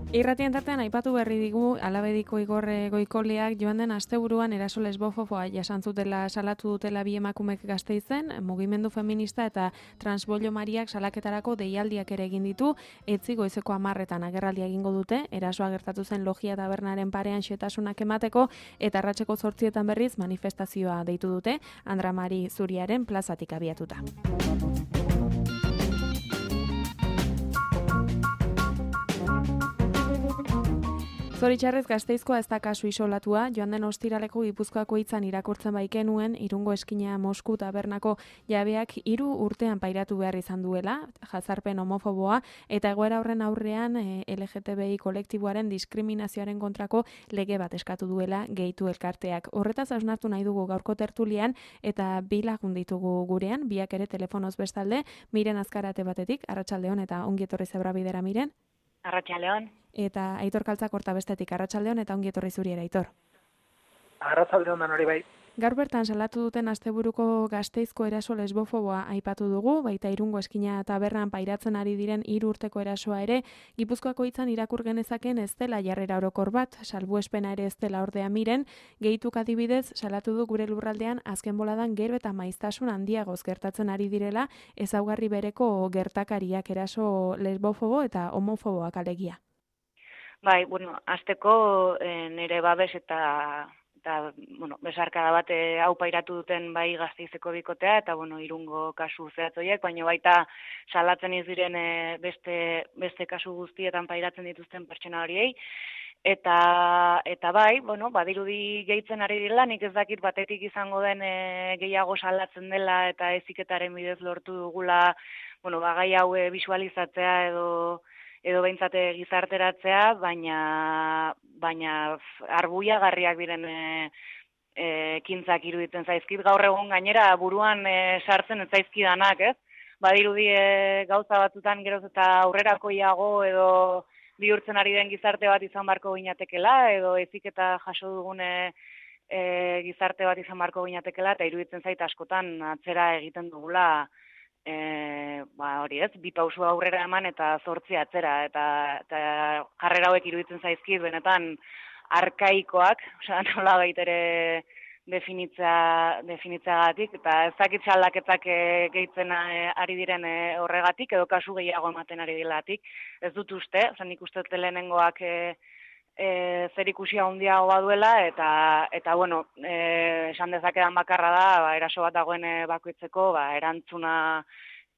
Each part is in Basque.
Irratien tartean aipatu berri digu Alabediko Igor Goikoleak joan den asteburuan eraso lesbofoboa jasan zutela salatu dutela bi emakumek Gasteizen, mugimendu feminista eta transbollo Mariak salaketarako deialdiak ere egin ditu, etzi goizeko 10etan agerraldia egingo dute, erasoa gertatu zen Logia tabernaren parean xetasunak emateko eta arratseko 8etan berriz manifestazioa deitu dute, Andra Mari Zuriaren plazatik abiatuta. Zoritxarrez Gasteizkoa ez da kasu isolatua, joan den ostiraleko Gipuzkoako hitzan irakurtzen baikenuen, Irungo Eskina Mosku tabernako jabeak 3 urtean pairatu behar izan duela, jazarpen homofoboa, eta egoera horren aurrean LGTBI kolektiboaren diskriminazioaren kontrako lege bat eskatu duela gehitu elkarteak. Horretaz hausnartu nahi dugu gaurko tertulian, eta 2 lagun ditugu gurean, biak ere telefonoz bestalde, Miren Azkarate batetik, arratsaldeon eta ongi etorri Zebrabidera Miren. Arratsaldeon. Eta Aitor Kaltzakorta bestetik arratsaldeon eta ongi etorri zuriera Aitor. Arratsaldeon dan hori bai. Gaur bertan salatu duten asteburuko Gasteizko eraso lesbofoboa aipatu dugu, baita Irungo Eskina tabernan pairatzen ari diren 3 urteko erasoa ere, Gipuzkoako hitzan irakur genezaken ez dela jarrera orokor bat, salbuespena ere ez dela ordea Miren, gehituk adibidez salatu du gure lurraldean azken boladan gero eta maiztasun handiagoz gertatzen ari direla, ezaugarri bereko gertakariak eraso lesbofobo eta homofoboak alegia. Bai, hasteko nire babes eta besarkada bat hau pairatu duten bai Gasteizeko bikotea eta Irungo kasu zehatz horiek, baina baita salatzen ez diren beste kasu guztietan pairatzen dituzten pertsona horiei. Eta bai, badirudi gehitzen ari dela, nik ez dakit batetik izango den gehiago salatzen dela eta heziketaren bidez lortu dugula, gai hau bisualizatzea edo behintzate gizarteratzea, baina arbuiagarriak diren ekintzak iruditzen zaizkit. Gaur egun gainera buruan sartzen ez zaizkidanak, ez? Badirudi gauza batzutan geroz eta aurrerakoiago edo bihurtzen ari den gizarte bat izan barko ginatekela, edo heziketa jaso dugune gizarte bat izan barko ginatekela, eta iruditzen zait askotan atzera egiten dugula hori ez, 2 pauso aurrera eman eta 8 atzera, eta jarrera hauek iruditzen zaizkit benetan arkaikoak, nola baitere definitzeagatik, eta ez dakit aldaketak gehitzen ari diren horregatik, edo kasu gehiago ematen ari dilatik. Ez dut uste, nik uste lehenengoak zerikusia handiago baduela, eta esan dezakedan bakarra da, eraso bat dagoen bakoitzeko, erantzuna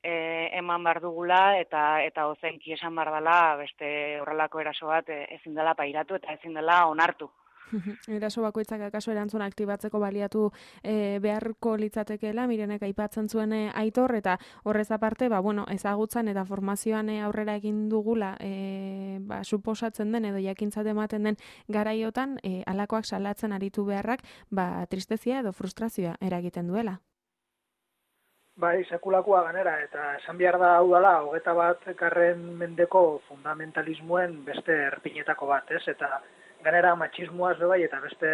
eman behar dugula, eta ozenki esan behar dela, beste horrelako eraso bat ezin dela pairatu eta ezin dela onartu. Eraso bakoitzak akaso erantzuna aktibatzeko baliatu beharko litzatekeela, Mirenek aipatzen zuen Aitor, eta horrez aparte, ezagutzan eta formazioan aurrera egin dugula suposatzen den edo jakintzat ematen den garaiotan, halakoak salatzen aritu beharrak, tristezia edo frustrazioa eragiten duela. Bai, sekulakoa ganera, eta esan behar da hau dela, 21. mendeko fundamentalismoen beste erpinetako bat, ez? Eta ganera matxismoaz bai, eta beste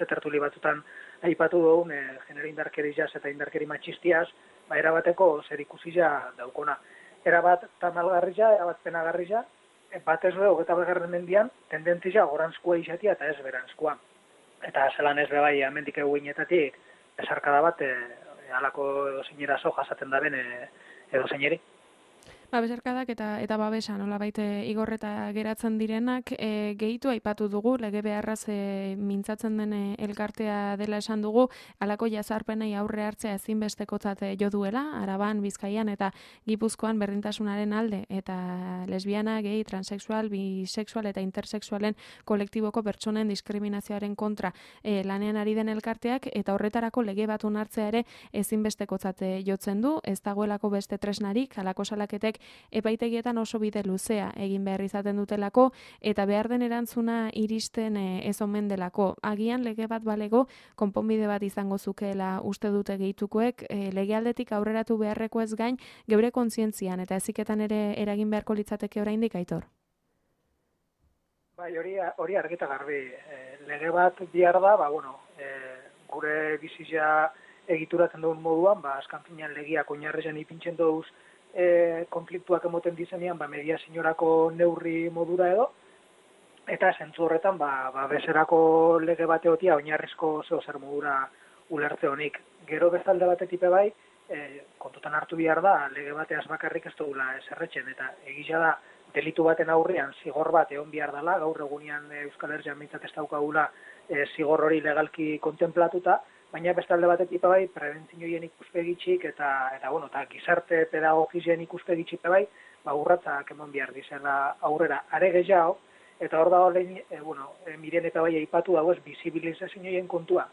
tertuli batzutan aipatu dugun genero indarkeriaz eta indarkeri matxistiaz, erabateko zerikusia daukona. Erabat tamalgarria, erabat penagarria, batez 21. mendian tendentzia gorantzkoa izatea eta ez berantzkoa. Eta zelan ez bai hemendik eguinetatik esarkada bat halako edozeinerazo jasaten daben edozeineri. Besarkadak eta babesa nolabait igorreta geratzen direnak gehitu aipatu dugu, lege beharraz mintzatzen den elkartea dela esan dugu, halako jazarpenei aurre hartzea ezinbestekotzat jo duela, Araban, Bizkaian eta Gipuzkoan berdintasunaren alde, eta lesbiana, gay, transexual, bisexual eta intersexualen kolektiboko pertsonen diskriminazioaren kontra lanean ari den elkarteak, eta horretarako lege bat onartzea ere ezinbestekotzat jotzen du, ez dagoelako beste tresnarik, halako salaketek epaitegietan oso bide luzea egin behar izaten dutelako, eta behar den erantzuna iristen ez omen delako. Agian lege bat balego, konponbide bat izango zukeela uste dute gehitukoek, legealdetik aurreratu beharreko ez gain, geure kontzientzian eta heziketan ere eragin beharko litzateke oraindik, Aitor? Bai, hori argita garbi. Lege bat bihar da, gure bizitza egituratzen dugun moduan, azkan finean legiak oinarrian ipintzen duz konfliktuak emoten dizenean, mediaziorako neurri modura edo, eta zentzu horretan, beserako lege bateotia oinarrizko zer modura ulertze honik. Gero bestalde batetik bai, kontutan hartu behar da, lege bateaz bakarrik ez dugula eserretzen, eta egisa da, delitu baten aurrean zigor bat egon behar dela, gaur egunean Euskal Herrian mintzat ez daukagula zigor hori legalki kontemplatuta, baina bestalde batetik bai, prebentzioen ikuspegitxik eta gizarte pedagogizien ikuspegitxik bai, urratzak emon behar dizela aurrera are gehiago, eta hor da miren eta bai aipatu dago ez bizibilizazioen kontua.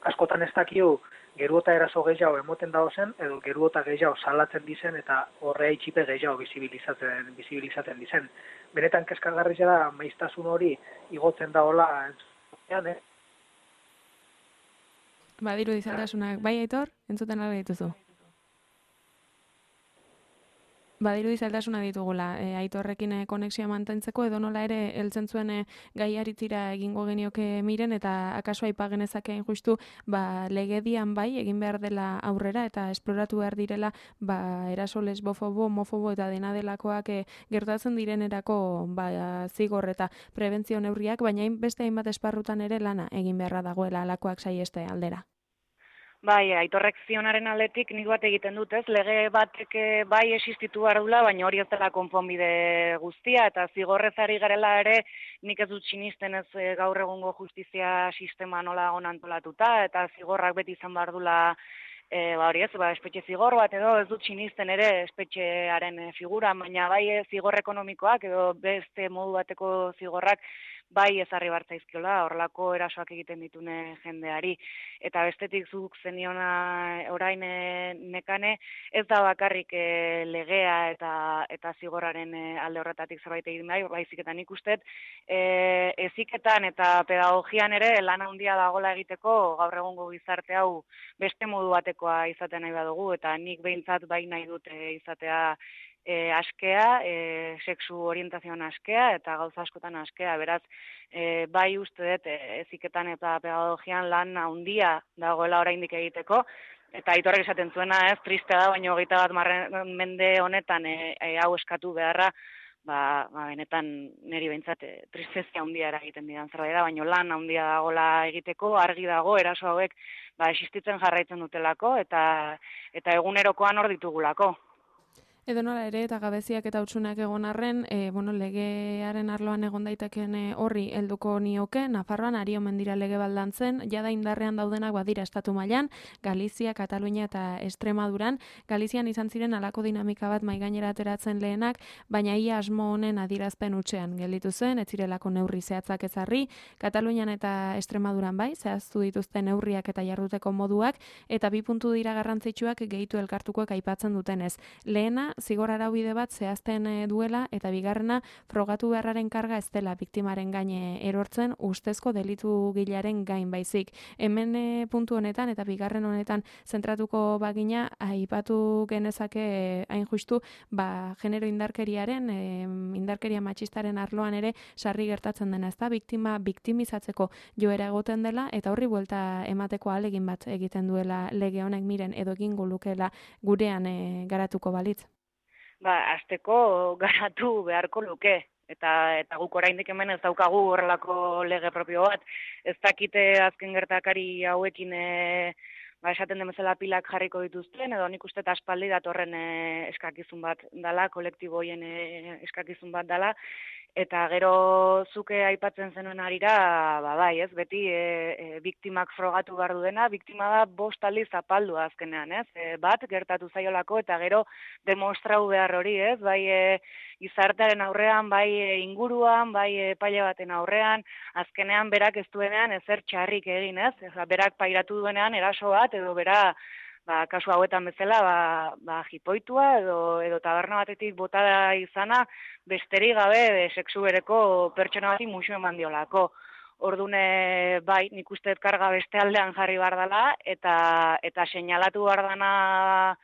Askotan ez dakiu geruota eraso gehiago emoten dago zen, edo geruota gehiago salatzen dizen, eta horrea itxipe gehiago bizibilizatzen dizen. Benetan kezkagarria da, maiztasun hori igotzen dagoela entzutean, Badiru dizaldasunak, bai Aitor, entzuten albe dituzu? Badiru dizaldasuna ditugula, Aitorrekin konexioa mantentzeko, edo nola ere heltzen zuen gaiaritzira egingo genioke miren, eta akaso aipagenezakeen justu, legedian bai, egin behar dela aurrera, eta esploratu behar direla, eraso lesbofobo, homofobo eta dena delakoak gertatzen direnerako zigor eta prebentzio neurriak, baina beste hainbat esparrutan ere lana egin beharra dagoela alakoak saieste aldera. Bai, Aitorrek zionaren aldetik nik bat egiten dut, ez? Lege batek bai existitu behar dula, baina hori ez dela konponbide guztia, eta zigorrezari garela ere nik ez dut sinisten ez gaur egungo justizia sistema nola dagoen antolatuta, eta zigorrak beti izan behar dula hori ez, espetxe zigor bat edo ez dut sinisten ere espetxearen figura, baina bai zigor ekonomikoak edo beste modu bateko zigorrak bai ezarri bartzaizkiola, horrelako erasoak egiten ditune jendeari. Eta bestetik zuk zeniona orain nekane, ez da bakarrik legea eta zigorraren alde horretatik zerbait egin bai, baizik eta nik uste, heziketan eta pedagogian ere lan handia dagola egiteko gaur egungo gizarte hau beste modu batekoa izaten nahi badugu, eta nik behintzat bai nahi dut izatea askea, sexu orientazioan askea eta gauza askotan askea. Beraz, bai uste dut heziketan eta pedagogian lan handia dagoela oraindik egiteko, eta Aitorrek esaten zuena ez, tristea da, baina 21. mende honetan hau eskatu beharra, benetan niri behintzat tristezia handia eragiten didan zerbait da, baina lan handia dagoela egiteko, argi dago eraso hauek existitzen jarraitzen dutelako eta egunerokoan hor ditugulako. Edo nola ere, eta gabeziak eta hutsunak egon arren, legearen arloan egon daiteken horri helduko nioke, Nafarroan ari omen dira lege baldantzen, jada indarrean daudenak badira estatu mailan, Galizia, Katalunia eta Extremaduran. Galizian izan ziren halako dinamika bat maigainera ateratzen lehenak, baina ia asmo honen adierazpen hutsean gelditu zen, ez zirelako neurri zehatzak ezarri, Katalunian eta Extremaduran bai, zehaztu dituzten neurriak eta jarduteko moduak, eta bi puntu dira garrantzitsuak gehitu elkartukoek aipatzen dutenez. Lehena, zigor araubide bat zehazten duela, eta bigarrena frogatu beharraren karga ez dela biktimaren gaine erortzen ustezko delitu gilearen gain baizik. Hemen puntu honetan eta bigarren honetan zentratuko bagina, aipatu genezake hain justu, genero indarkeriaren, indarkeria matxistaren arloan ere sarri gertatzen dena, ezta biktima biktimizatzeko joera egoten dela, eta horri buelta emateko ahalegin bat egiten duela lege honek miren edo egingo lukeela gurean garatuko balitz. Azteko garatu beharko luke, eta guk oraindik hemen ez daukagu horrelako lege propio bat. Ez dakite azken gertakari hauekin esaten den bezala pilak jarriko dituzten, edo nik uste aspaldi datorren eskakizun bat dala, kolektibo hoien eskakizun bat dala, eta gero zuke aipatzen zenuen arira, bai, ez, beti biktimak frogatu behar du dena, biktima da 5 aldiz zapaldu azkenean, ez, bat gertatu zaiolako, eta gero demostrau behar hori, ez, bai gizartearen aurrean, bai inguruan, bai epaile baten aurrean, azkenean berak ez duenean ezer txarrik egin, ez, berak pairatu duenean eraso bat, edo bera, kasu hauetan bezala, jipoitua edo taberna batetik botada izana, besterik gabe sexu bereko pertsona bati musu eman diolako. Ordune, bai, nik uste karga beste aldean jarri behar dela, eta seinalatu behar dana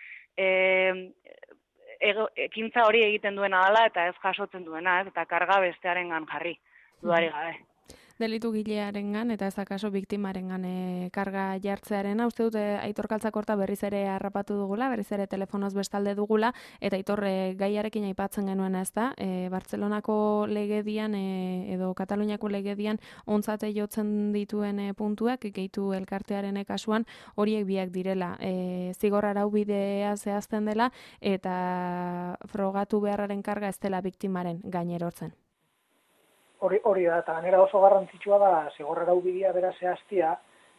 ekintza hori egiten duena dela, eta ez jasotzen duena, ez, eta karga bestearengan jarri, dudarik gabe. delitu gilearengan eta ez akaso biktimarengan karga jartzearena. Uste dute Aitor Kaltzakorta berriz ere harrapatu dugula, berriz ere telefonoz bestalde dugula, eta Aitor gaiarekin aipatzen genuen ez da, Bartzelonako legedian edo Kataluniako legedian ontzate jotzen dituen puntuak, gehitu elkartearen kasuan horiek biak direla. Zigor araubidea zehazten dela eta frogatu beharraren karga ez dela biktimaren gainerortzen. Hori da, eta ganera oso garrantzitsua da zigor araubidea bera zehaztia,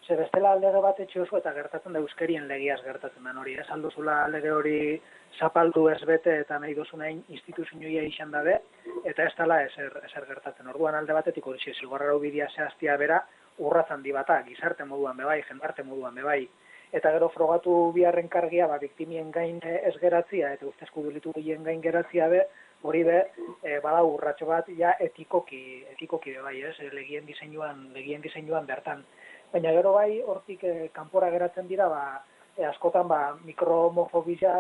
ze bestela lege bat etxe oso eta gertatzen da euskerien legiaz gertatzen da hori. Ez aldozula lege hori zapaldu ez bete eta nahi dozunain instituzioia izan dabe, eta ez dela ezer gertatzen. Orduan alde batetik hori zigor araubidea zehaztia bera urratzen di bata, gizarte moduan bebai, jendarte moduan bebai. Eta gero frogatu biharren kargia, biktimien gain ez geratzia, eta ustezko delitu gehien gain geratzia be, hori be, bada urratxo bat, ja etikoki be bai, ez, legien diseinuan bertan. Baina gero bai, hortik kanpora geratzen dira, askotan mikrohomofobia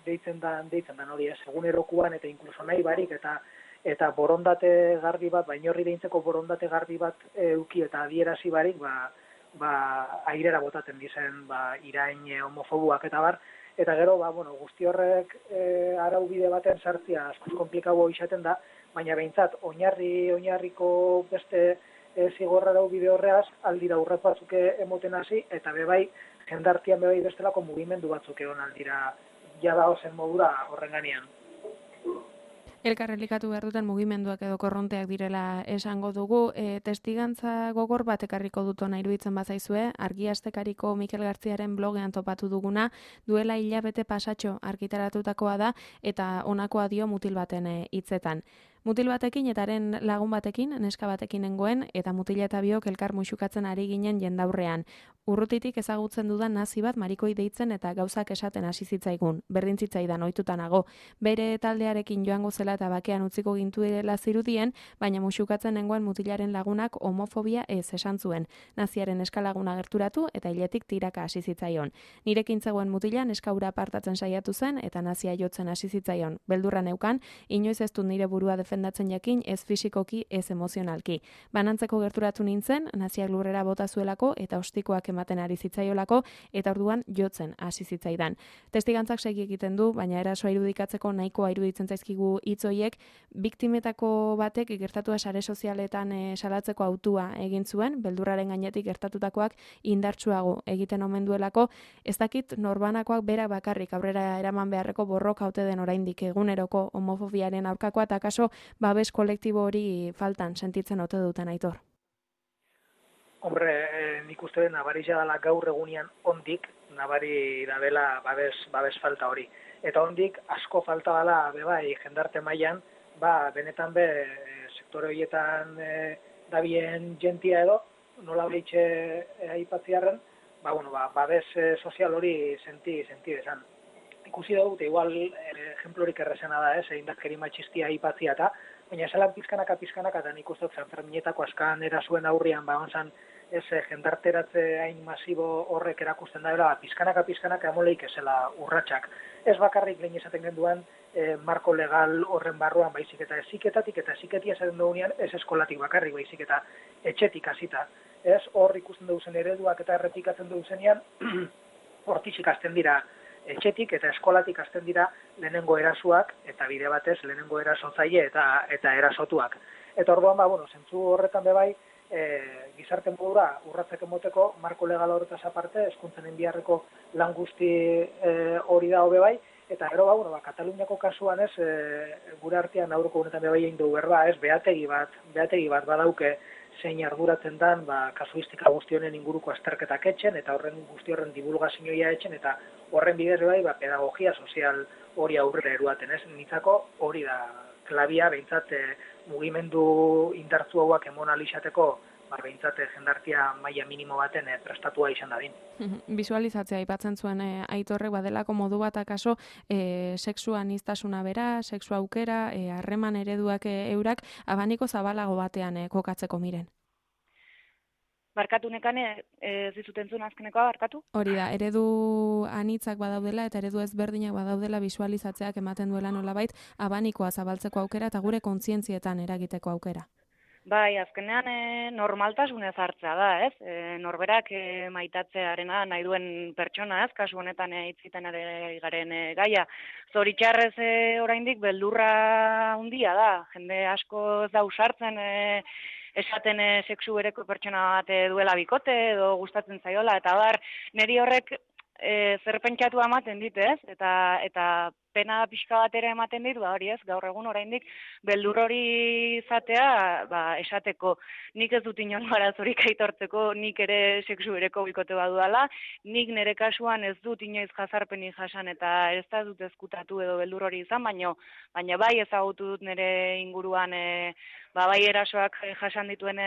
deitzen dan hori, ez, egunerokuan eta inkluso nahi barik, eta borondate garbi bat, baina horri deintzeko borondate garbi bat euki eta adierazi barik, airera botaten dizen irain homofobuak eta bar, eta gero, guzti horrek araubide baten sartzia askoz komplikago izaten da, baina behintzat, oinarriko beste zigor araubide horreaz, aldira urrat batzuk emoten hasi, eta bebai, jendartian bebai bestelako mugimendu batzuk egon aldira, jada ozen modura horren ganean. Elkarrelikatu behar duten mugimenduak edo korronteak direla esango dugu. Testigantza gogor bat ekarriko dut ona iruditzen bazaizue, Argia Astekariko Mikel Gartziaren blogean topatu duguna, duela hilabete pasatxo argitaratutakoa da, eta honakoa dio mutil baten hitzetan. Mutil batekin eta haren lagun batekin, neska batekin nengoen, eta mutila eta biok elkar muxukatzen ari ginen jendaurrean. Urrutitik ezagutzen dudan nazi bat marikoi deitzen eta gauzak esaten hasi zitzaigun, berdin zitzaidan ohituta nago. Bere taldearekin joango zela eta bakean utziko gintuela zirudien, baina muxukatzen nengoen mutilaren lagunak homofobia ez esan zuen. Naziaren eskalaguna gerturatu eta hiletik tiraka hasi zitzaion. Nirekin zegoen mutila neskaura apartatzen saiatu zen eta nazia jotzen hasi zitzaion. Beldurra neukan, inoiz ez dut nire burua defendatzen jakin, ez fisikoki, ez emozionalki. Banantzeko gerturatu nintzen, naziak lurrera bota zuelako eta ostikoak ematen ari zitzaiolako, eta orduan jotzen hasi zitzaidan. Testigantzak segi egiten du, baina erasoa irudikatzeko nahikoa iruditzen zaizkigu hitz horiek, biktimetako batek gertatua sare sozialetan salatzeko autua egin zuen, beldurraren gainetik gertatutakoak indartsuago egiten omen duelako, ez dakit norbanakoak berak bakarrik aurrera eraman beharreko borroka ote den oraindik eguneroko homofobiaren aurkakoa, eta akaso babes kolektibo hori faltan sentitzen ote duten, Aitor. Hombre, nik uste den nabarija dela gaur egunian ondik, nabari dabela babes falta hori. Eta ondik asko falta dela bebai jendarte mailan, benetan sektore horietan dabien jentia edo, nola behitxe aipatziarren, babes sozial hori senti desan. Ikusi dut, igual, ejemplorik errezena da, indarkeri matxistia aipatzia eta, baina esalan pizkanaka, eta nik uste dut Sanferminetako askan erasuen aurrian, onzan, jendarteratze hain masibo horrek erakusten da, pizkanaka amoleik esela urratsak. Ez bakarrik lehen esaten genduan, marko legal horren barruan baizik eta eziketatik eta eziketia esaten dugunean, ez eskolatik bakarrik baizik eta etxetik hasita. Ez hor ikusten duzen ereduak eta errepikatzen duzenean, hortik ikasten dira etxetik eta eskolatik hasten dira lehenengo erasuak eta bide batez lehenengo erasotzaile eta erasotuak. Eta orduan, zentzu horretan bebai, gizarte modura urratzek emoteko, marko legal horretaz aparte, hezkuntzen biharreko lan guzti hori da hobe bai, eta gero, Kataluniako kasuan ez, gure artean aurreko honetan bebai egin dugu berba, ez, behategi bat badauke zein arduratzen dan, kasuistika guztionen inguruko azterketak etxen, eta horren guzti horren divulgazioa etxen, eta horren bidez bai, pedagogia sozial hori aurrera eruaten, ez? Nitzako hori da klabia, behintzat mugimendu indartzu hauak emon alizateko, behintzat jendartia maila minimo baten prestatua izan dadin. Visualizatzea aipatzen zuen Aitorrek badelako modu bat akaso sexu aniztasuna bera, sexu aukera, harreman ereduak eurak, abaniko zabalago batean kokatzeko miren. Barkatu nekane, ez dizuten zuen azkenekoa, barkatu? Hori da, eredu anitzak badaudela eta eredu ezberdinak badaudela visualizatzeak ematen duela nolabait, abanikoa zabaltzeko aukera eta gure kontzientzietan eragiteko aukera. Bai, azkenean normaltasunez hartzea da, ez? Norberak maitatzearena nahi duen pertsona, ez? Kasu honetan hitziten ari garen gaia. Zoritxarrez oraindik beldurra handia da. Jende asko ez da usartzen esaten sexu bereko pertsona bat duela bikote edo gustatzen zaiola, eta bar, niri horrek zer pentsatu ematen dit, ez? Eta pena pixka bat ere ematen dit, hori ez, gaur egun oraindik beldur hori izatea, esateko nik ez dut inongo arazorik aitortzeko, nik ere sexu bereko bikote badudala, nik nire kasuan ez dut inoiz jazarpenik jasan eta ez da dut ezkutatu edo beldur hori izan, baina bai ezagutu dut nire inguruan bai erasoak jasan dituen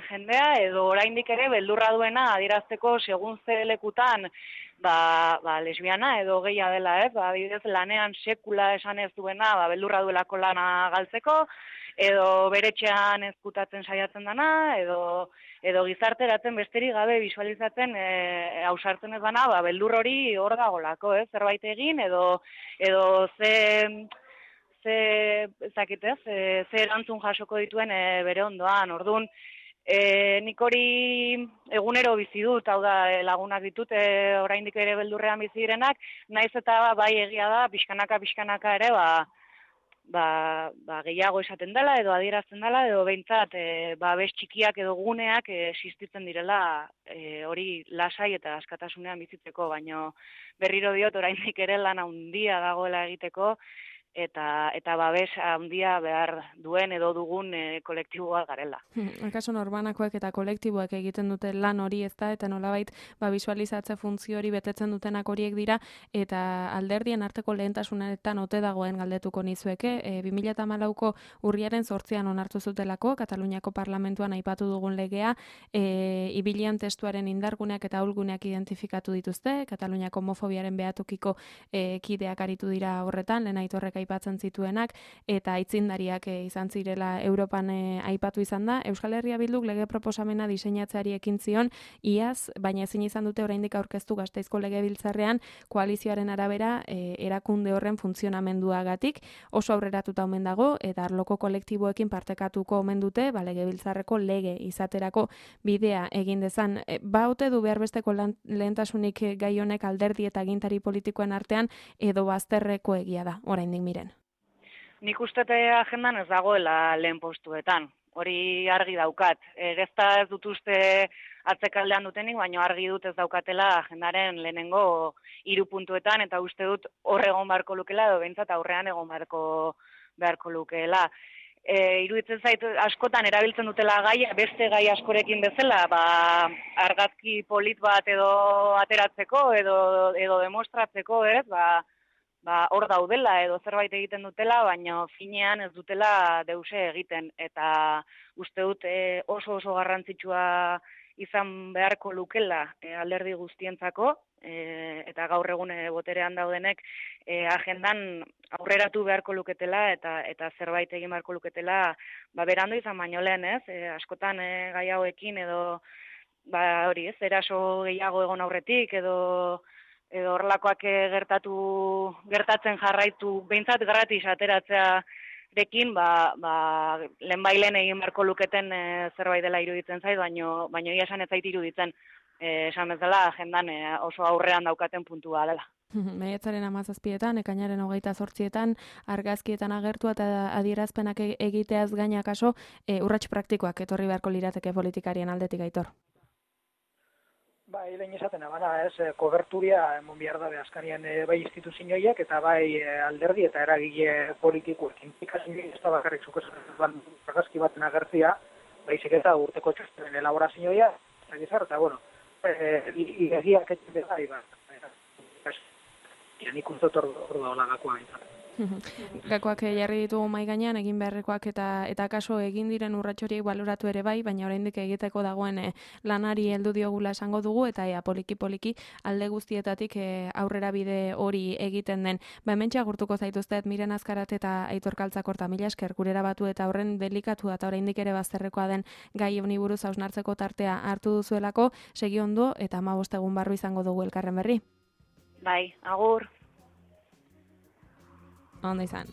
jendea, edo oraindik ere beldurra duena adierazteko segun ze lekutan lesbiana edo gehia dela, ez? Adibidez, lanean sekula esan ez duena, beldurra duelako lana galtzeko, edo beretxean ezkutatzen saiatzen dana, edo gizarteratzen besterik gabe visualizatzen ausartzen ez dana, beldur hori hor dagolako, ez? Zerbait egin, edo ze erantzun jasoko dituen bere ondoan, orduan, nik hori egunero bizi dut, hau da lagunak ditut, oraindik ere beldurrean bizi direnak, naiz eta bai egia da, pixkanaka ere, gehiago esaten dela, edo adierazten dela, edo behintzat, bez txikiak edo guneak existitzen direla hori lasai eta askatasunean bizitzeko, baino berriro diot oraindik ere lan handia dagoela egiteko, eta babes handia behar duen edo dugun kolektiboa garela. Kasu norbanakoek eta kolektiboek egiten dute lan hori ez da, eta nolabait visualizatze funtzio hori betetzen dutenak horiek dira, eta alderdien arteko lehentasunetan ote dagoen galdetuko nizueke, 2014ko urriaren 8an onartu zutelako, Kataluniako parlamentuan aipatu dugun legea, ibilian testuaren indarguneak eta ahulguneak identifikatu dituzte, Kataluniako homofobiaren behatukiko kideak aritu dira horretan, lehen Aitorrek aipatzen zituenak, eta aitzindariak izan zirela Europan aipatu izan da. Euskal Herria Bilduk lege proposamena diseinatzeari ekin zion, iaz, baina ezin izan dute oraindik aurkeztu Gasteizko Legebiltzarrean koalizioaren arabera erakunde horren funtzionamenduagatik oso aurreratuta omen dago, eta arloko kolektiboekin partekatuko omen dute, Legebiltzarreko lege izaterako bidea egin dezan. Ote du behar besteko lehentasunik gai honek alderdi eta agintari politikoen artean, edo bazterreko egia da, oraindik miren? Nik ustete agendan ez dagoela lehen postuetan. Hori argi daukat. Ez dut uste atzekaldean dutenik, baina argi dut ez daukatela agendaren lehenengo 3 puntuetan, eta uste dut hor egon beharko lukela, edo behintzat aurrean egon beharko lukeela. Iruditzen zait askotan erabiltzen dutela gaia, beste gai askorekin bezala, argazki polit bat edo ateratzeko, edo demostratzeko, ez, hor daudela edo zerbait egiten dutela, baina finean ez dutela deuse egiten, eta uste dut oso garrantzitsua izan beharko lukela alderdi guztientzako, eta gaur egun boterean daudenek agendan aurreratu beharko luketela eta zerbait egin beharko luketela, berandu izan baino lehen, ez? Askotan gai hauekin edo hori, ez, eraso gehiago egon aurretik edo horrelakoak gertatzen jarraitu, behintzat gratis ateratzearekin, lehenbailen egin beharko luketen zerbait dela iruditzen zait, baino ia esan ez zait iruditzen, esan bezala agendan oso aurrean daukaten puntua dela. Maiatzaren 17etan, ekainaren 28etan, argazkietan agertua eta adierazpenak egiteaz gaina kaso, urrats praktikoak etorri beharko lirateke politikarien aldetik, Aitor. Lehen esaten abana, koberturia emon behar dabe azkanian bai instituzioiek eta bai alderdi eta eragile politikoekin. Ikasini ez da bakarrik zukesan argazki baten agertzia, baizik eta urteko txostenen elaborazioia, eta bueno, egiak etxe bai, nik uste hor daola gakoa bintzat. Gakoak jarri ditugu mahai gainean, egin beharrekoak eta kaso egin diren urratxoriek baloratu ere bai, baina oraindik egiteko dagoen lanari heldu diogula esango dugu, eta poliki alde guztietatik aurrera bide hori egiten den. Hementxe agurtuko zaituztet Miren Azkarat eta Aitor Kaltzakorta, mila esker gurera batu eta horren delikatu eta oraindik ere bazterrekoa den gai honi buruz hausnartzeko tartea hartu duzuelako, segi ondo eta 15 egun barru izango dugu elkarren berri. Bai, agur. Ondo izan.